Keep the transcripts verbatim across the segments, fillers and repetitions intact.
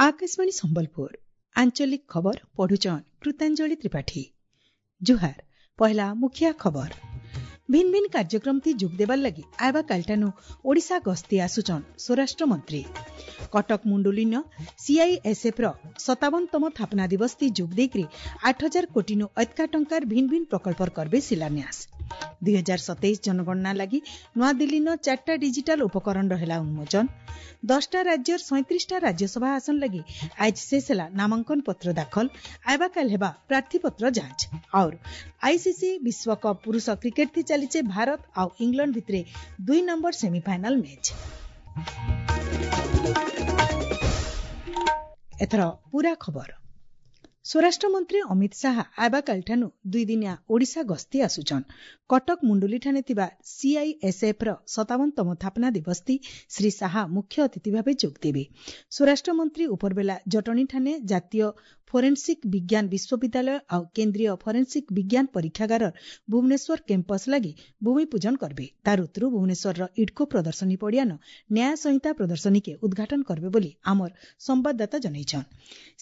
ଆକାଶବାଣୀ ସମ୍ବଲପୁର ଆଞ୍ଚଳିକ ଖବର ପଢୁଛନ୍ କୃତାଞ୍ଜଳି ତ୍ରିପାଠୀ। ଜୁହାର। ପହିଲା ମୁଖିଆ ଖବର। ଭିନ୍ ଭିନ୍ କାର୍ଯ୍ୟକ୍ରମ ଥି ଯୋଗ ଦେବାର ଲାଗି ଆଇବା କାଲିଠାନୁ ଓଡ଼ିଶା ଗସ୍ତି ଆସୁଛନ୍ ସ୍ୱରାଷ୍ଟ୍ର ମନ୍ତ୍ରୀ। କଟକ ମୁଣ୍ଡୁଲିନ ସିଆଇଏସ୍ଏଫ୍ ର ସତାବନତମ ଥାପନା ଦିବସ ଥି ଯୋଗ ଦେଇକରି ଆଠ ହଜାର କୋଟିନୁ ଅଧିକା ଟଙ୍କାର ଭିନ୍ ଭିନ୍ ପ୍ରକଳ୍ପର କରବେ ଶିଳାନ୍ୟାସ। ଦୁଇ ହଜାର ସତେଇଶ ଜନଗଣନା ଲାଗି ନୂଆଦିଲ୍ଲୀନ ଚାରିଟା ଡିଜିଟାଲ ଉପକରଣର ହେଲା ଉନ୍ମୋଚନ। ଦଶଟା ରାଜ୍ୟର ସଇଁତ୍ରିଶଟା ରାଜ୍ୟସଭା ଆସନ ଲାଗି ଆଜ ଶେଷ ହେଲା ନାମାଙ୍କନ ପତ୍ର ଦାଖଲ। ଆଇବାକାଲ ହେବା ପ୍ରାର୍ଥୀପତ୍ର ଯାଞ୍ଚ। ଆଉର ଆଇସିସି ବିଶ୍ୱକପ୍ ପୁରୁଷ କ୍ରିକେଟ ଥି ଚାଲିଛେ ଭାରତ ଆଉ ଇଂଲଣ୍ଡ ଭିତରେ ଦୁଇ ନମ୍ବର ସେମିଫାଇନାଲ ମ୍ୟାଚ୍। ଏଥର ପୁରା ଖବର। ସ୍ୱରାଷ୍ଟ୍ରମନ୍ତ୍ରୀ ଅମିତ ଶାହା ଆଇବାକାଲିଠାନୁ ଦୁଇଦିନିଆ ଓଡ଼ିଶା ଗସ୍ତି ଆସୁଛନ୍। କଟକ ମୁଣ୍ଡୁଲିଠାନେ ଥିବା ସିଆଇଏସ୍ଏଫ୍ ର ସତାବନତମ ଥାପନା ଦିବସ ଥି ଶ୍ରୀ ଶାହା ମୁଖ୍ୟ ଅତିଥି ଭାବେ ଯୋଗ ଦେବେ। ସ୍ୱରାଷ୍ଟ୍ରମନ୍ତ୍ରୀ ଉପରବେଲା ଜଟଣୀଠାନେ ଜାତୀୟ ଫୋରେନ୍ସିକ୍ ବିଜ୍ଞାନ ବିଶ୍ୱବିଦ୍ୟାଳୟ ଆଉ କେନ୍ଦ୍ରୀୟ ଫରେନ୍ସିକ୍ ବିଜ୍ଞାନ ପରୀକ୍ଷାଗାରର ଭୁବନେଶ୍ୱର କ୍ୟାମ୍ପସ୍ ଲାଗି ଭୂମିପୂଜନ କରବେ। ତାର ଉତ୍ତରୁ ଭୁବନେଶ୍ୱରର ଇଡ୍କୋ ପ୍ରଦର୍ଶନୀ ପଡ଼ିଆନ ନ୍ୟାୟ ସଂହିତା ପ୍ରଦର୍ଶନୀକେ ଉଦ୍ଘାଟନ କରବେ ବୋଲି ଆମର ସମ୍ବାଦଦାତା ଜଣାଇଛନ୍।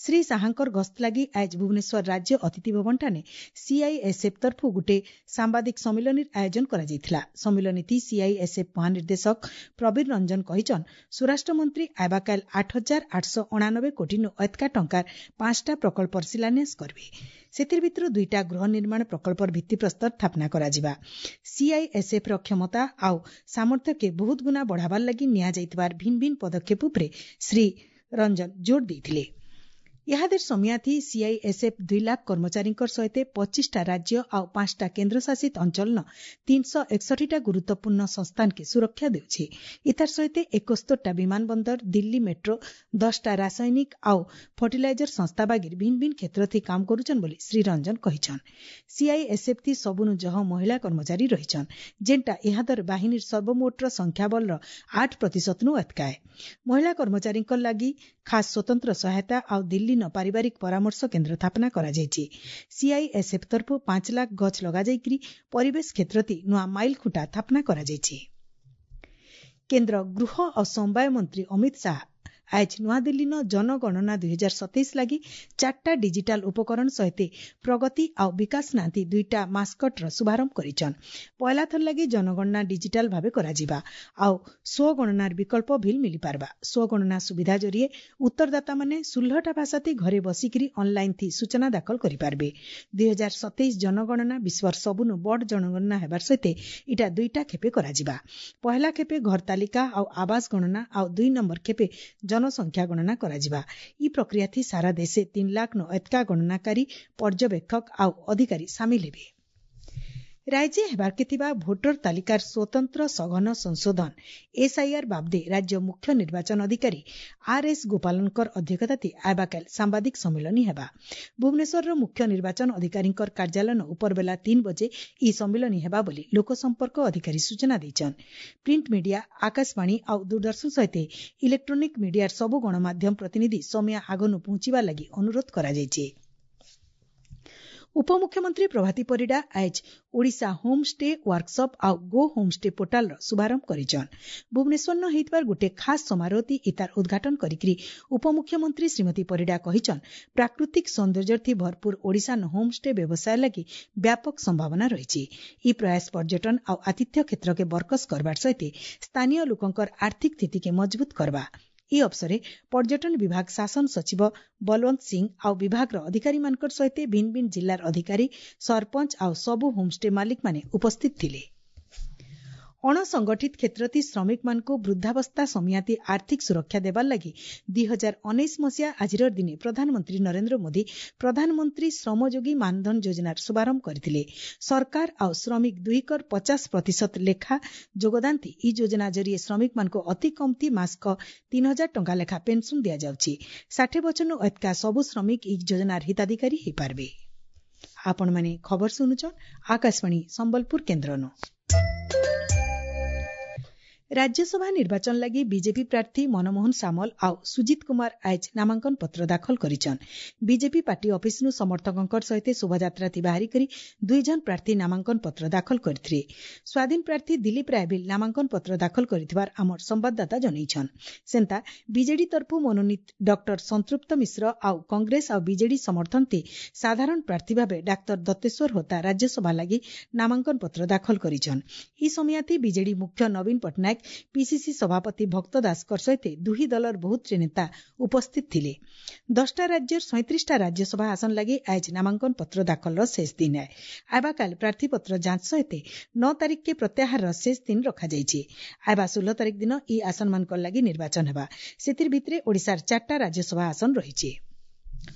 ଶ୍ରୀ ଶାହାଙ୍କର ଗସ୍ତ ଲାଗି ଆଜ ଭୁବନେଶ୍ୱର ରାଜ୍ୟ ଅତିଥି ଭବନଠାନେ ସିଆଇଏସ୍ଏଫ୍ ତରଫୁ ଗୋଟିଏ ସାମ୍ବାଦିକ ସମ୍ମିଳନୀର ଆୟୋଜନ କରାଯାଇଥିଲା। ସମ୍ମିଳନୀଥି ସିଆଇଏସ୍ଏଫ୍ ମହାନିର୍ଦ୍ଦେଶକ ପ୍ରବୀର ରଞ୍ଜନ କହିଛନ୍, ସ୍ୱରାଷ୍ଟ୍ରମନ୍ତ୍ରୀ ଆଇବାକାଲ ଆଠ ହଜାର ଆଠଶହ ଅଣାନବେ କୋଟିନୁ ଅଧିକା ଟଙ୍କାର ପାଞ୍ଚଟା ପ୍ରକଳ୍ପର ଶିଳାନ୍ୟାସ କରିବେ। ସେଥିର ଭିତରୁ ଦୁଇଟା ଗୃହ ନିର୍ମାଣ ପ୍ରକଳ୍ପର ଭିତ୍ତିପ୍ରସ୍ତର ସ୍ଥାପନା କରାଯିବା। ସିଆଇଏସ୍ଏଫ୍ ର କ୍ଷମତା ଆଉ ସାମର୍ଥ୍ୟକେ ବହୁତ ଗୁଣା ବଢ଼ାବାର ଲାଗି ନିଆଯାଇଥିବାର ଭିନ୍ ଭିନ୍ ପଦକ୍ଷେପ ଉପରେ ଶ୍ରୀ ରଞ୍ଜନ ଜୋର ଦେଇଥିଲେ। ଇହାଦେର ସମିୟାଥି ସିଆଇଏସ୍ଏଫ୍ ଦୁଇ ଲାଖ କର୍ମଚାରୀଙ୍କର ସହିତ ପଚିଶଟା ରାଜ୍ୟ ଆଉ ପାଞ୍ଚଟା କେନ୍ଦ୍ରଶାସିତ ଅଞ୍ଚଳନ ତିନିଶହ ଏକଷଠିଟା ଗୁରୁତ୍ୱପୂର୍ଣ୍ଣ ସଂସ୍ଥାନକେ ସୁରକ୍ଷା ଦେଉଛି। ଇତାର ସହିତ ଏକସ୍ତରଟା ବିମାନ ବନ୍ଦର, ଦିଲ୍ଲୀ ମେଟ୍ରୋ, ଦଶଟା ରାସାୟନିକ ଆଉ ଫର୍ଟିଲାଇଜର ସଂସ୍ଥା ବାଗିର ଭିନ୍ ଭିନ୍ କ୍ଷେତ୍ର ଥି କାମ କରୁଛନ୍ ବୋଲି ଶ୍ରୀ ରଞ୍ଜନ କହିଛନ୍। ସିଆଇଏସ୍ଏଫ୍ ଥି ସବୁନୁ ଜହ ମହିଳା କର୍ମଚାରୀ ରହିଛନ୍, ଯେନ୍ଟା ଇହାଦର ବାହିନୀର ସର୍ବମୋଟର ସଂଖ୍ୟାବଳର ଆଠ ପ୍ରତିଶତନୁ ଅତକାଏ। ମହିଳା କର୍ମଚାରୀଙ୍କ ଲାଗି ଖାସ୍ ସ୍ୱତନ୍ତ୍ର ସହାୟତା ଆଉ ଦିଲ୍ଲୀ ପାରିବାରିକ ପରାମର୍ଶ କେନ୍ଦ୍ର ସ୍ଥାପନା କରାଯାଇଛି। ସିଆଇଏସ୍ଏଫ୍ ତରଫରୁ ପାଞ୍ଚ ଲାଖ ଗଛ ଲଗାଯାଇକରି ପରିବେଶ କ୍ଷେତ୍ରତି ନୂଆ ମାଇଲ ଖୁଣ୍ଟା ସ୍ଥାପନା କରାଯାଇଛି। କେନ୍ଦ୍ର ଗୃହ ଓ ସମବାୟ ମନ୍ତ୍ରୀ ଅମିତ ଶାହା ଆଜ ନୂଆଦିଲ୍ଲୀନ ଜନଗଣନା ଦୁଇ ହଜାର ସତେଇଶ ଲାଗି ଚାରିଟା ଡିଜିଟାଲ ଉପକରଣ ସହିତ ପ୍ରଗତି ଆଉ ବିକାଶ ନାନ୍ତି ଦୁଇଟା ମାସ୍କଟର ଶୁଭାରମ୍ଭ କରିଛନ୍। ପହିଲା ଥର ଲାଗି ଜନଗଣନା ଡିଜିଟାଲ ଭାବେ କରାଯିବା ଆଉ ସ୍ୱଗଣନାର ବିକଳ୍ପ ଭିଲ୍ ମିଳିପାରବା। ସ୍ୱଗଣନା ସୁବିଧା ଜରିଏ ଉତ୍ତରଦାତାମାନେ ଷୋହଳଟା ଭାଷାତି ଘରେ ବସିକରି ଅନଲାଇନ୍ ଥି ସୂଚନା ଦାଖଲ କରିପାରିବେ। ଦୁଇ ହଜାର ସତେଇଶ ଜନଗଣନା ବିଶ୍ୱର ସବୁନୁ ବଡ଼ ଜନଗଣନା ହେବାର ସହିତ ଇଟା ଦୁଇଟା ଖେପେ କରାଯିବା। ପହିଲା ଖେପେ ଘର ତାଲିକା ଆଉ ଆବାସ ଗଣନା ଆଉ ଦୁଇ ନମ୍ବର ଖେପେ ଜନସଂଖ୍ୟା ଗଣନା କରାଯିବା। ଇ ପ୍ରକ୍ରିୟା ଥି ସାରା ଦେଶେ ତିନି ଲାଖ ନ ଏତକା ଗଣନାକାରୀ, ପର୍ଯ୍ୟବେକ୍ଷକ ଆଉ ଅଧିକାରୀ ସାମିଲ ହେବେ। ରାଜ୍ୟ ହେବାର୍କେ ଥିବା ଭୋଟର ତାଲିକାର ସ୍ୱତନ୍ତ୍ର ସଘନ ସଂଶୋଧନ ଏସ୍ଆଇଆର୍ ବାବଦେ ରାଜ୍ୟ ମୁଖ୍ୟ ନିର୍ବାଚନ ଅଧିକାରୀ ଆର୍ ଏସ୍ ଗୋପାଲନଙ୍କର ଅଧ୍ୟକ୍ଷତାଥି ଆଇବାକାଲ ସାମ୍ବାଦିକ ସମ୍ମିଳନୀ ହେବା। ଭୁବନେଶ୍ୱରର ମୁଖ୍ୟ ନିର୍ବାଚନ ଅଧିକାରୀଙ୍କର କାର୍ଯ୍ୟାଳୟ ଉପରବେଲା ତିନି ବଜେ ଇ ସମ୍ମିଳନୀ ହେବା ବୋଲି ଲୋକସମ୍ପର୍କ ଅଧିକାରୀ ସୂଚନା ଦେଇଛନ୍। ପ୍ରିଣ୍ଟ ମିଡିଆ, ଆକାଶବାଣୀ ଆଉ ଦୂରଦର୍ଶନ ସହିତ ଇଲେକ୍ଟ୍ରୋନିକ ମିଡିଆର ସବୁ ଗଣମାଧ୍ୟମ ପ୍ରତିନିଧି ସମିଆ ଆଗନୁ ପହଞ୍ଚିବା ଲାଗି ଅନୁରୋଧ କରାଯାଇଛି। ଉପମୁଖ୍ୟମନ୍ତ୍ରୀ ପ୍ରଭାତୀ ପରିଡ଼ା ଆଜ ଓଡ଼ିଶା ହୋମ୍ ଷ୍ଟେ ୱାର୍କସପ୍ ଆଉ ଗୋ ହୋମ୍ ଷ୍ଟେ ପୋର୍ଟାଲର ଶୁଭାରମ୍ଭ କରିଛନ୍। ଭୁବନେଶ୍ୱରନ ହେଇଥିବାର ଗୋଟିଏ ଖାସ୍ ସମାରୋହତି ଇତାର ଉଦ୍ଘାଟନ କରିକିରି ଉପମୁଖ୍ୟମନ୍ତ୍ରୀ ଶ୍ରୀମତୀ ପରିଡ଼ା କହିଛନ୍, ପ୍ରାକୃତିକ ସୌନ୍ଦର୍ଯ୍ୟଥି ଭରପୁର ଓଡ଼ିଶାନ ହୋମ୍ ଷ୍ଟେ ବ୍ୟବସାୟ ଲାଗି ବ୍ୟାପକ ସମ୍ଭାବନା ରହିଛି। ଇ ପ୍ରୟାସ ପର୍ଯ୍ୟଟନ ଆଉ ଆତିଥ୍ୟ କ୍ଷେତ୍ରକେ ବରକସ କରବାର ସହିତ ସ୍ଥାନୀୟ ଲୋକଙ୍କର ଆର୍ଥିକ ସ୍ଥିତିକେ ମଜବୁତ କରବା। ଇ ଅବସରେ ପର୍ଯ୍ୟଟନ ବିଭାଗ ଶାସନ ସଚିବ ବଲୱନ୍ତ ସିଂ ଆଉ ବିଭାଗର ଅଧିକାରୀମାନଙ୍କର ସହିତ ଭିନ୍ ଭିନ୍ ଜିଲ୍ଲାର ଅଧିକାରୀ, ସରପଞ୍ଚ ଆଉ ସବୁ ହୋମଷ୍ଟେ ମାଲିକମାନେ ଉପସ୍ଥିତ ଥିଲେ। ଅଣସଂଗଠିତ କ୍ଷେତ୍ରତି ଶ୍ରମିକମାନଙ୍କୁ ବୃଦ୍ଧାବସ୍ଥା ସମିଆତି ଆର୍ଥିକ ସୁରକ୍ଷା ଦେବାର ଲାଗି ଦୁଇ ହଜାର ଉଣେଇଶ ମସିହା ଆଜିର ଦିନେ ପ୍ରଧାନମନ୍ତ୍ରୀ ନରେନ୍ଦ୍ର ମୋଦି ପ୍ରଧାନମନ୍ତ୍ରୀ ଶ୍ରମଯୋଗୀ ମାନଧନ ଯୋଜନାର ଶୁଭାରମ୍ଭ କରିଥିଲେ। ସରକାର ଆଉ ଶ୍ରମିକ ଦୁହିଁକର ପଚାଶ ପ୍ରତିଶତ ଲେଖା ଯୋଗଦାନ ଥି ଇ ଯୋଜନା ଜରିଏ ଶ୍ରମିକମାନଙ୍କୁ ଅତି କମ୍ତି ମାସକ ତିନି ହଜାର ଟଙ୍କା ଲେଖା ପେନ୍ସନ୍ ଦିଆଯାଉଛି। ଷାଠିଏ ବଛରନୁ ଅଧିକା ସବୁ ଶ୍ରମିକ ଇ ଯୋଜନାର ହିତାଧିକାରୀ ହୋଇପାରିବେ। ଆପଣମାନେ ଖବର ଶୁଣୁଛନ୍ ଆକାଶବାଣୀ ସମ୍ବଲପୁର କେନ୍ଦ୍ରନୁ। ରାଜ୍ୟସଭା ନିର୍ବାଚନ ଲାଗି ବିଜେପି ପ୍ରାର୍ଥୀ ମନମୋହନ ସାମଲ ଆଉ ସୁଜିତ କୁମାର ଆଏଜ୍ ନାମାଙ୍କନ ପତ୍ର ଦାଖଲ କରିଛନ୍। ବିଜେପି ପାର୍ଟି ଅଫିସନୁ ସମର୍ଥକଙ୍କ ସହିତ ଶୋଭାଯାତ୍ରା ଥି ବାହାରି କରି ଦୁଇ ଜଣ ପ୍ରାର୍ଥୀ ନାମାଙ୍କନ ପତ୍ର ଦାଖଲ କରିଥିଲେ। ସ୍ୱାଧୀନ ପ୍ରାର୍ଥୀ ଦିଲ୍ଲୀପ ରାୟ ବି ନାମାଙ୍କନ ପତ୍ର ଦାଖଲ କରିଥିବାର ଆମର ସମ୍ବାଦଦାତା ଜଣାଇଛନ୍। ସେନ୍ତା ବିଜେଡି ତରଫୁ ମନୋନୀତ ଡକ୍ଟର ସଂତୃପ୍ତ ମିଶ୍ର ଆଉ କଂଗ୍ରେସ ଆଉ ବିଜେଡି ସମର୍ଥନ ଥି ସାଧାରଣ ପ୍ରାର୍ଥୀ ଭାବେ ଡାକ୍ତର ଦତ୍ତେଶ୍ୱର ହୋତା ରାଜ୍ୟସଭା ଲାଗି ନାମାଙ୍କନ ପତ୍ର ଦାଖଲ କରିଛନ୍। ଇ ସମୟାଥି ବିଜେଡି ମୁଖ୍ୟ ନବୀନ ପଟ୍ଟନାୟକ, ପିସିସି ସଭାପତି ଭକ୍ତ ଦାସଙ୍କ ସହିତ ଦୁହି ଦଳର ବହୁତ ନେତା ଉପସ୍ଥିତ ଥିଲେ। ଦଶଟା ରାଜ୍ୟର ସଇଁତ୍ରିଶଟା ରାଜ୍ୟସଭା ଆସନ ଲାଗି ଆଏଜ୍ ନାମାଙ୍କନ ପତ୍ର ଦାଖଲର ଶେଷ ଦିନ ଏ। ଆବାକାଲ ପ୍ରାର୍ଥୀପତ୍ର ଯାଞ୍ଚ ସହିତ ନଅ ତାରିଖକେ ପ୍ରତ୍ୟାହାରର ଶେଷ ଦିନ ରଖାଯାଇଛି। ଆଇବା ଷୋହଳ ତାରିଖ ଦିନ ଇ ଆସନମାନଙ୍କର ଲାଗି ନିର୍ବାଚନ ହେବା। ସେଥିର ଭିତରେ ଓଡ଼ିଶାର ଚାରିଟା ରାଜ୍ୟସଭା ଆସନ ରହିଛି।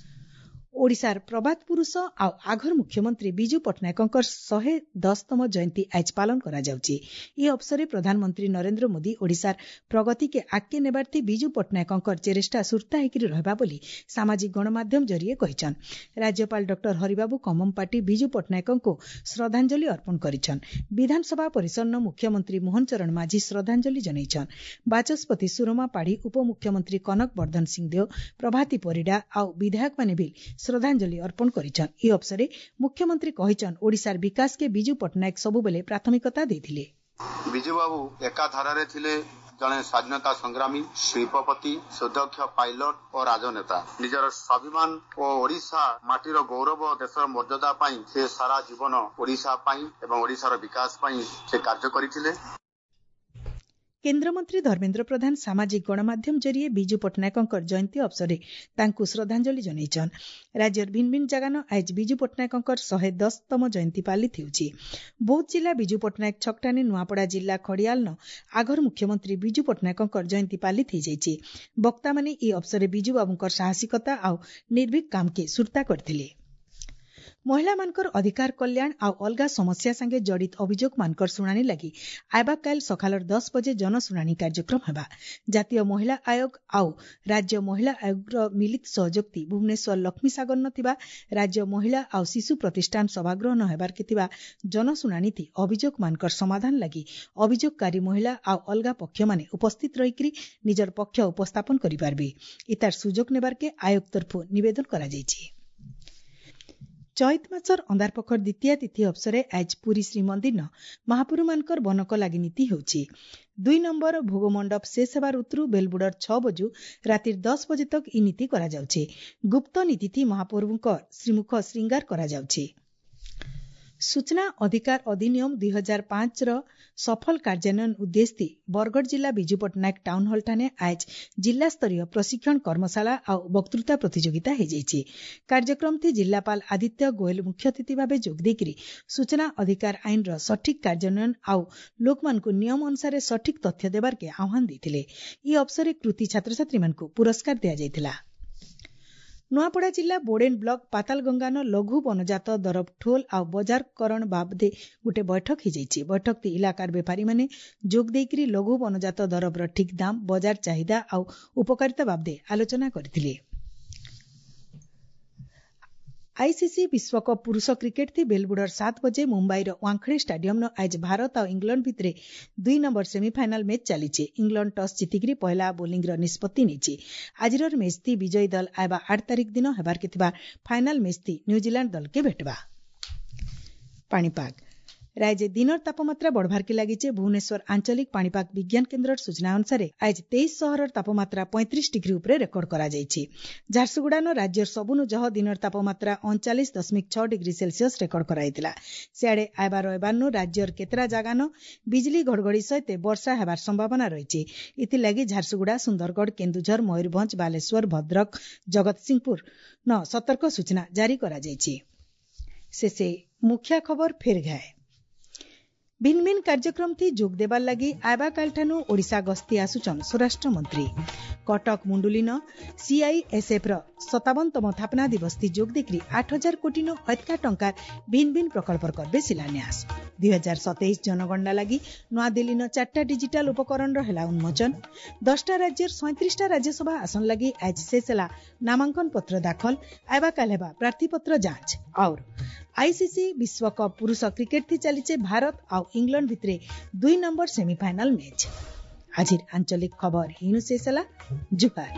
ଓଡ଼ିଶାର ପ୍ରବାଦ ପୁରୁଷ ଆଉ ଆଘର ମୁଖ୍ୟମନ୍ତ୍ରୀ ବିଜୁ ପଟ୍ଟନାୟକଙ୍କର ଶହେ ଦଶତମ ଜୟନ୍ତୀ ଆଏଜ୍ ପାଳନ କରାଯାଉଛି। ଏ ଅବସରରେ ପ୍ରଧାନମନ୍ତ୍ରୀ ନରେନ୍ଦ୍ର ମୋଦି ଓଡ଼ିଶାର ପ୍ରଗତିକେ ଆଗକେ ନେବାର୍ଥି ବିଜୁ ପଟ୍ଟନାୟକଙ୍କର ଚେଷ୍ଟା ସୁର୍ତ୍ତା ହେଇକରି ରହିବା ବୋଲି ସାମାଜିକ ଗଣମାଧ୍ୟମ ଜରିଏ କହିଛନ୍। ରାଜ୍ୟପାଳ ଡକ୍ଟର ହରିବାବୁ କମ୍ଭମପାଟି ବିଜୁ ପଟ୍ଟନାୟକଙ୍କୁ ଶ୍ରଦ୍ଧାଞ୍ଜଳି ଅର୍ପଣ କରିଛନ୍। ବିଧାନସଭା ପରିସରନ ମୁଖ୍ୟମନ୍ତ୍ରୀ ମୋହନ ଚରଣ ମାଝୀ ଶ୍ରଦ୍ଧାଞ୍ଜଳି ଜଣାଇଛନ୍। ବାଚସ୍ପତି ସୁରମା ପାଢ଼ୀ, ଉପମୁଖ୍ୟମନ୍ତ୍ରୀ କନକ ବର୍ଦ୍ଧନ ସିଂଦେଓ, ପ୍ରଭାତୀ ପରିଡ଼ା ଆଉ ବିଧାୟକମାନେ ବି ଶ୍ରଦ୍ଧାଞ୍ଜଳି ଅର୍ପଣ କରିଛନ୍। ଏହି ଅବସରରେ ମୁଖ୍ୟମନ୍ତ୍ରୀ କହିଛନ୍, ଓଡ଼ିଶାର ବିକାଶକେ ବିଜୁ ପଟ୍ଟନାୟକ ସବୁବେଳେ ପ୍ରାଥମିକତା ଦେଇଥିଲେ। ବିଜୁବାବୁ ଏକାଧାରାରେ ଥିଲେ ଜଣେ ସ୍ୱାଧୀନତା ସଂଗ୍ରାମୀ, ଶିଳ୍ପପତି, ସୁଦକ୍ଷ ପାଇଲଟ ଓ ରାଜନେତା। ନିଜର ସ୍ୱାଭିମାନ ଓ ଓଡ଼ିଶା ମାଟିର ଗୌରବ, ଦେଶର ମର୍ଯ୍ୟାଦା ପାଇଁ ସେ ସାରା ଜୀବନ ଓଡ଼ିଶା ପାଇଁ ଏବଂ ଓଡ଼ିଶାର ବିକାଶ ପାଇଁ ସେ କାର୍ଯ୍ୟ କରିଥିଲେ। କେନ୍ଦ୍ରମନ୍ତ୍ରୀ ଧର୍ମେନ୍ଦ୍ର ପ୍ରଧାନ ସାମାଜିକ ଗଣମାଧ୍ୟମ ଜରିଏ ବିଜୁ ପଟ୍ଟନାୟକଙ୍କର ଜୟନ୍ତୀ ଅବସରରେ ତାଙ୍କୁ ଶ୍ରଦ୍ଧାଞ୍ଜଳି ଜଣାଇଛନ୍। ରାଜ୍ୟର ଭିନ୍ନ ଭିନ୍ନ ଜାଗାନ ଆଏଜ୍ ବିଜୁ ପଟ୍ଟନାୟକଙ୍କର ଶହେ ଦଶତମ ଜୟନ୍ତୀ ପାଳିତ ହେଉଛି। ବୌଦ୍ଧ ଜିଲ୍ଲା ବିଜୁ ପଟ୍ଟନାୟକ ଛକଠାନେ ନୂଆପଡ଼ା ଜିଲ୍ଲା ଖଡ଼ିଆଲନ ଆଘର ମୁଖ୍ୟମନ୍ତ୍ରୀ ବିଜୁ ପଟ୍ଟନାୟକଙ୍କର ଜୟନ୍ତୀ ପାଳିତ ହୋଇଯାଇଛି। ବକ୍ତାମାନେ ଏହି ଅବସରରେ ବିଜୁବାବୁଙ୍କର ସାହସିକତା ଆଉ ନିର୍ଭୀକ କାମକେ ସୁର୍ତ୍ତା କରିଥିଲେ। ମହିଳାମାନଙ୍କର ଅଧିକାର, କଲ୍ୟାଣ ଆଉ ଅଲଗା ସମସ୍ୟା ସାଙ୍ଗେ ଜଡ଼ିତ ଅଭିଯୋଗମାନଙ୍କର ଶୁଣାଣି ଲାଗି ଆଇବାକାଲ ସକାଳର ଦଶ ବଜେ ଜନଶୁଣାଣି କାର୍ଯ୍ୟକ୍ରମ ହେବା। ଜାତୀୟ ମହିଳା ଆୟୋଗ ଆଉ ରାଜ୍ୟ ମହିଳା ଆୟୋଗର ମିଳିତ ସହଯୋଗତି ଭୁବନେଶ୍ୱର ଲକ୍ଷ୍ମୀସାଗରନ ଥିବା ରାଜ୍ୟ ମହିଳା ଆଉ ଶିଶୁ ପ୍ରତିଷ୍ଠାନ ସଭାଗୃହ ନ ହେବାର୍କେ ଥିବା ଜନଶୁଣାଣିଥି ଅଭିଯୋଗମାନଙ୍କର ସମାଧାନ ଲାଗି ଅଭିଯୋଗକାରୀ ମହିଳା ଆଉ ଅଲଗା ପକ୍ଷମାନେ ଉପସ୍ଥିତ ରହିକରି ନିଜର ପକ୍ଷ ଉପସ୍ଥାପନ କରିପାରିବେ। ଇତାର ସୁଯୋଗ ନେବାର୍କେ ଆୟୋଗ ତରଫୁ ନିବେଦନ କରାଯାଇଛି। ଚୈତ ମାସର ଅନ୍ଧାରପଖର ଦ୍ୱିତୀୟା ତିଥି ଅବସରେ ଆଏଜ୍ ପୁରୀ ଶ୍ରୀମନ୍ଦିରନ ମହାପ୍ରଭୁମାନଙ୍କର ବନକ ଲାଗି ନୀତି ହେଉଛି। ଦୁଇ ନମ୍ବର ଭୋଗ ମଣ୍ଡପ ଶେଷ ହେବାର ଉତରୁ ବେଲବୁଡ଼ର ଛଅ ବଜୁ ରାତିର ଦଶ ବଜେ ତକ ଇ ନୀତି କରାଯାଉଛି। ଗୁପ୍ତ ନୀତିଥି ମହାପ୍ରଭୁଙ୍କ ଶ୍ରୀମୁଖ ଶ୍ରୀଙ୍ଗାର କରାଯାଉଛି। ସୂଚନା ଅଧିକାର ଅଧିନିୟମ ଦୁଇ ହଜାର ପାଞ୍ଚର ସଫଳ କାର୍ଯ୍ୟାନ୍ୱୟନ ଉଦ୍ଦେଶ୍ୟ ବରଗଡ଼ ଜିଲ୍ଲା ବିଜୁ ପଟ୍ଟନାୟକ ଟାଉନ୍ ହଲ୍ଠାନେ ଆଏଜ୍ ଜିଲ୍ଲାସ୍ତରୀୟ ପ୍ରଶିକ୍ଷଣ କର୍ମଶାଳା ଆଉ ବକ୍ତୃତା ପ୍ରତିଯୋଗିତା ହୋଇଯାଇଛି। କାର୍ଯ୍ୟକ୍ରମଥି ଜିଲ୍ଲାପାଳ ଆଦିତ୍ୟ ଗୋଏଲ ମୁଖ୍ୟ ଅତିଥି ଭାବେ ଯୋଗ ଦେଇକରି ସୂଚନା ଅଧିକାର ଆଇନର ସଠିକ୍ କାର୍ଯ୍ୟାନ୍ୱୟନ ଆଉ ଲୋକମାନଙ୍କୁ ନିୟମ ଅନୁସାରେ ସଠିକ୍ ତଥ୍ୟ ଦେବାର୍କେ ଆହ୍ୱାନ ଦେଇଥିଲେ। ଏହି ଅବସରରେ କୃତି ଛାତ୍ରଛାତ୍ରୀମାନଙ୍କୁ ପୁରସ୍କାର ଦିଆଯାଇଥିଲା। ନୂଆପଡ଼ା ଜିଲ୍ଲା ବୋଡେନ୍ ବ୍ଲକ ପାତାଲଗଙ୍ଗାନ ଲଘୁ ବନଜାତ ଦରବ ଠୋଲ ଆଉ ବଜାରକରଣ ବାବଦେ ଗୋଟେ ବୈଠକ ହୋଇଯାଇଛି। ବୈଠକଟି ଇଲାକାର ବେପାରୀମାନେ ଯୋଗ ଦେଇକରି ଲଘୁ ବନଜାତ ଦରବର ଠିକ୍ ଦାମ, ବଜାର ଚାହିଦା ଆଉ ଉପକାରିତା ବାବଦେ ଆଲୋଚନା କରିଥିଲେ। ଆଇସିସି ବିଶ୍ୱକପ୍ ପୁରୁଷ କ୍ରିକେଟ୍ ଥି ବେଲବୁଡ଼ର ସାତ ବଜେ ମୁମ୍ବାଇର ୱାଙ୍ଖଡେ ଷ୍ଟାଡିୟମନ ଆଏଜ୍ ଭାରତ ଆଉ ଇଂଲଣ୍ଡ ଭିତରେ ଦୁଇ ନମ୍ବର ସେମିଫାଇନାଲ ମ୍ୟାଚ୍ ଚାଲିଛି। ଇଂଲଣ୍ଡ ଟସ୍ ଜିତିକିରି ପହିଲା ବୋଲିଂର ନିଷ୍ପତ୍ତି ନେଇଛି। ଆଜିର ମ୍ୟାଚ୍ ଥି ବିଜୟୀ ଦଳ ଆଇବା ଆଠ ତାରିଖ ଦିନ ହେବାର୍କେ ଥିବା ଫାଇନାଲ ମ୍ୟାଚ୍ ଥି ନ୍ୟୁଜିଲାଣ୍ଡ ଦଳକେ ଭେଟବା। ପାଣିପାଗ ରାଜ୍ୟ ଦିନର ତାପମାତ୍ରା ବଢ଼ବାର୍କେ ଲାଗିছে। ଭୁବନେଶ୍ୱର ଆଞ୍ଚଳିକ ପାଣିପାଗ ବିଜ୍ଞାନ କେନ୍ଦ୍ରର ସୂଚନା ଅନୁସାରେ ଆজ ତେଇଶ ସହରର ତାପମାତ୍ରା ପଇଁତିରିଶ ଡିଗ୍ରୀ ଉପରେ ରେକର୍ଡ କରାଯାଇଛି। ଝାରସୁଗୁଡ଼ାନ ରାଜ୍ୟର ସବୁନୁ ଜହ ଦିନର ତାପମାତ୍ରା ଅଣଚାଳିଶ ଦଶମିକ ଛଅ ଡିଗ୍ରୀ ସେଲସିୟସ ରେକର୍ଡ କରାଯାଇଥିଲା। ସିଆଡ଼େ ଆଇବା ରବିବାରନୁ ରାଜ୍ୟର କେତେଟା ଜାଗାନ ବିଜୁଳି ଘଡ଼ଘଡ଼ି ସହିତ ବର୍ଷା ହେବାର ସମ୍ଭାବନା ରହିଛି। ଏଥିଲାଗି ଝାରସୁଗୁଡ଼ା, ସୁନ୍ଦରଗଡ଼, କେନ୍ଦୁଝର, ମୟୂରଭଞ୍ଜ, ବାଲେଶ୍ୱର, ଭଦ୍ରକ, ଜଗତସିଂହପୁର ନ ସତର୍କ ସୂଚନା ଜାରି କରାଯାଇଛି। ଶେଷେ ମୁଖ୍ୟ ଖବର ଫେର ଘାଏ। ଭିନ୍ ଭିନ୍ କାର୍ଯ୍ୟକ୍ରମ ଥି ଯୋଗ ଦେବାର ଲାଗି ଆଇବାକାଲଠାନୁ ଓଡ଼ିଶା ଗସ୍ତି ଆସୁଛନ୍ ସ୍ୱରାଷ୍ଟ୍ର ମନ୍ତ୍ରୀ। କଟକ ମୁଣ୍ଡୁଲିନ ସିଆଇଏସ୍ଏଫ୍ ର ସତାବନତମ ଥାପନା ଦିବସ ଥି ଯୋଗ ଦେଇକରି ଆଠ ହଜାର କୋଟିନୁ ଅଧିକା ଟଙ୍କାର ଭିନ୍ ଭିନ୍ ପ୍ରକଳ୍ପର କରିବେ ଶିଳାନ୍ୟାସ। ଦୁଇ ହଜାର ସତେଇଶ ଜନଗଣନା ଲାଗି ନୂଆଦିଲ୍ଲୀନ ଚାରିଟା ଡିଜିଟାଲ ଉପକରଣର ହେଲା ଉନ୍ମୋଚନ। ଦଶଟା ରାଜ୍ୟର ସଇଁତ୍ରିଶଟା ରାଜ୍ୟସଭା ଆସନ ଲାଗି ଆଜ ଶେଷ ହେଲା ନାମାଙ୍କନ ପତ୍ର ଦାଖଲ। ଆଇବାକାଲ ହେବା ପ୍ରାର୍ଥୀପତ୍ର ଯାଞ୍ଚ। और ଆଇସିସି ବିଶ୍ୱକପ୍ ପୁରୁଷ କ୍ରିକେଟ୍ ଥି ଚାଲିଛେ ଭାରତ ଆଉ ଇଂଲଣ୍ଡ ଭିତରେ ଦୁଇ ନମ୍ବର ସେମିଫାଇନାଲ ମ୍ୟାଚ୍। ଆଜିର ଆଞ୍ଚଳିକ ଖବର ଏଇନୁ ଶେଷ ହେଲା। ଜୁହାର।